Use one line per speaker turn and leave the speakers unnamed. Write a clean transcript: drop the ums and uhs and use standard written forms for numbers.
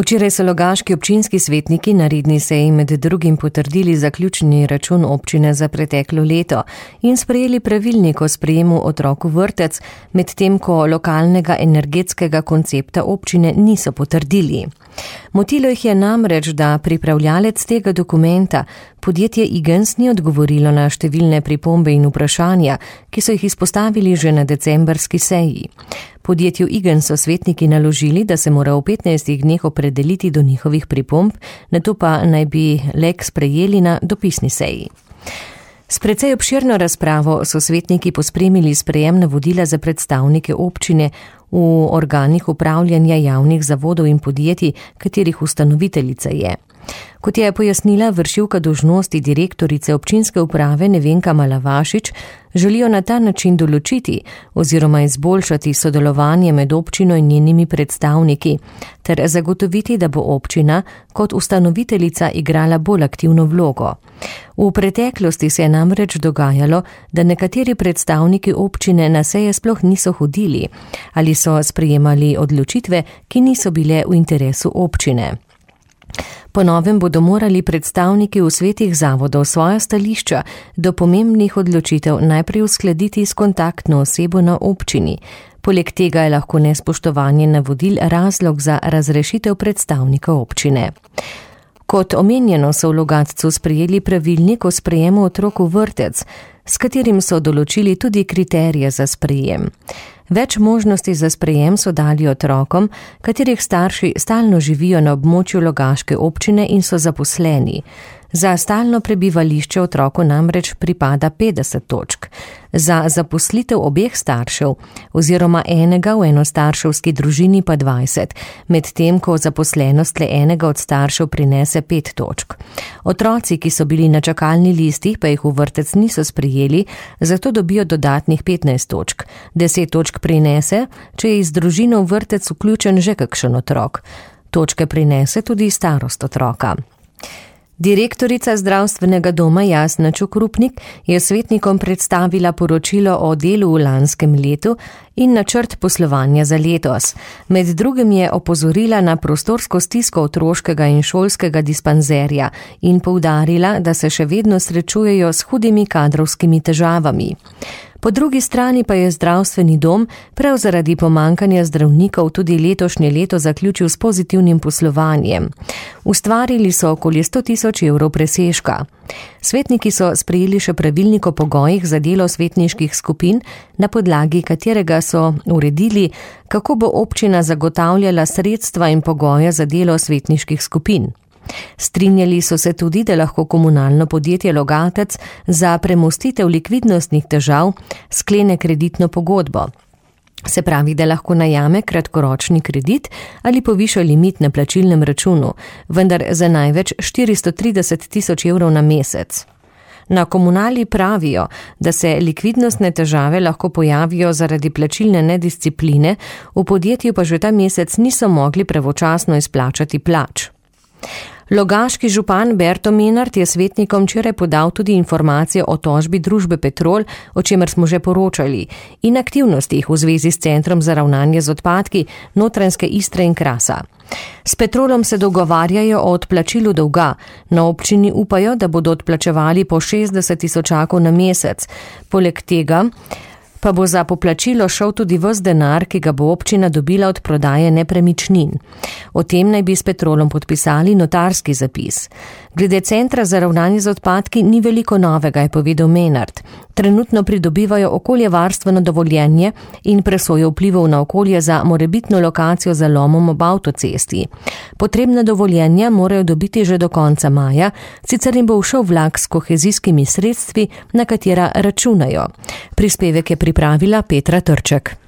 Včeraj so logaški občinski svetniki na redni seji med drugim potrdili zaključni račun občine za preteklo leto in sprejeli pravilnik o sprejemu otrok v vrtec, medtem ko lokalnega energetskega koncepta občine niso potrdili. Motilo jih je namreč, da pripravljalec tega dokumenta, podjetje Igens, ni odgovorilo na številne pripombe in vprašanja, ki so jih izpostavili že na decembrski seji. Podjetju Igens so svetniki naložili, da se mora v 15 dneh opredeliti do njihovih pripomb, nato pa naj bi lek sprejeli na dopisni seji. S precej obširno razpravo so svetniki pospremili sprejem navodila za predstavnike občine v organih upravljanja javnih zavodov in podjetij, katerih ustanoviteljica je. Kot je pojasnila vršilka dolžnosti direktorice občinske uprave Nevenka Malavašič, želijo na ta način določiti oziroma izboljšati sodelovanje med občino in njenimi predstavniki ter zagotoviti, da bo občina kot ustanoviteljica igrala bolj aktivno vlogo. V preteklosti se je namreč dogajalo, da nekateri predstavniki občine na seje sploh niso hodili ali so sprejemali odločitve, ki niso bile v interesu občine. Po novem bodo morali predstavniki v svetih zavodov svoja stališča do pomembnih odločitev najprej uskladiti s kontaktno osebo na občini. Poleg tega je lahko nespoštovanje navodil razlog za razrešitev predstavnika občine. Kot omenjeno so v Logatcu sprejeli pravilnik o sprejemu otrok v vrtec, s katerim so določili tudi kriterije za sprejem. Več možnosti za sprejem so dali otrokom, katerih starši stalno živijo na območju logaške občine in so zaposleni. Za stalno prebivališče otroku namreč pripada 50 točk. Za zaposlitev obeh staršev oziroma enega v enostarševski družini pa 20, medtem ko zaposlenost le enega od staršev prinese 5 točk. Otroci, ki so bili na čakalni listi, pa jih v vrtec niso sprejeli, zato dobijo dodatnih 15 točk. 10 točk prinese, če je iz družine v vrtec vključen že kakšen otrok. Točke prinese tudi starost otroka. Direktorica zdravstvenega doma Jasna Čukrupnik je svetnikom predstavila poročilo o delu v lanskem letu in načrt poslovanja za letos. Med drugim je opozorila na prostorsko stisko otroškega in šolskega dispanzerja in poudarila, da se še vedno srečujejo s hudimi kadrovskimi težavami. Po drugi strani pa je zdravstveni dom prav zaradi pomankanja zdravnikov tudi letošnje leto zaključil s pozitivnim poslovanjem. Ustvarili so okoli 100.000 evrov presežka. Svetniki so sprejeli še pravilnik o pogojih za delo svetniških skupin, na podlagi katerega so uredili, kako bo občina zagotavljala sredstva in pogoje za delo svetniških skupin. Strinjali so se tudi, da lahko komunalno podjetje Logatec za premostitev likvidnostnih težav sklene kreditno pogodbo. Se pravi, da lahko najame kratkoročni kredit ali poviša limit na plačilnem računu, vendar za največ 430.000 evrov na mesec. Na komunali pravijo, da se likvidnostne težave lahko pojavijo zaradi plačilne nediscipline, v podjetju pa že ta mesec niso mogli pravočasno izplačati plač. Logaški župan Berto Menart je svetnikom včeraj podal tudi informacije o tožbi družbe Petrol, o čemer smo že poročali, in aktivnostih v zvezi s centrom za ravnanje z odpadki Notranjske Istre in Krasa. S Petrolom se dogovarjajo o odplačilu dolga. Na občini upajo, da bodo odplačevali po 60.000 na mesec. Poleg tega pa bo za poplačilo šel tudi ves denar, ki ga bo občina dobila od prodaje nepremičnin. O tem naj bi s Petrolom podpisali notarski zapis. Glede centra za ravnanje z odpadki ni veliko novega, je povedal Menart. Trenutno pridobivajo okoljevarstveno dovoljenje in presojo vplivov na okolje za morebitno lokacijo za lomom ob avtocesti. Potrebna dovoljenja morajo dobiti že do konca maja, sicer jim bo všel vlak s kohezijskimi sredstvi, na katera računajo. Prispevek je pripravila Petra Trček.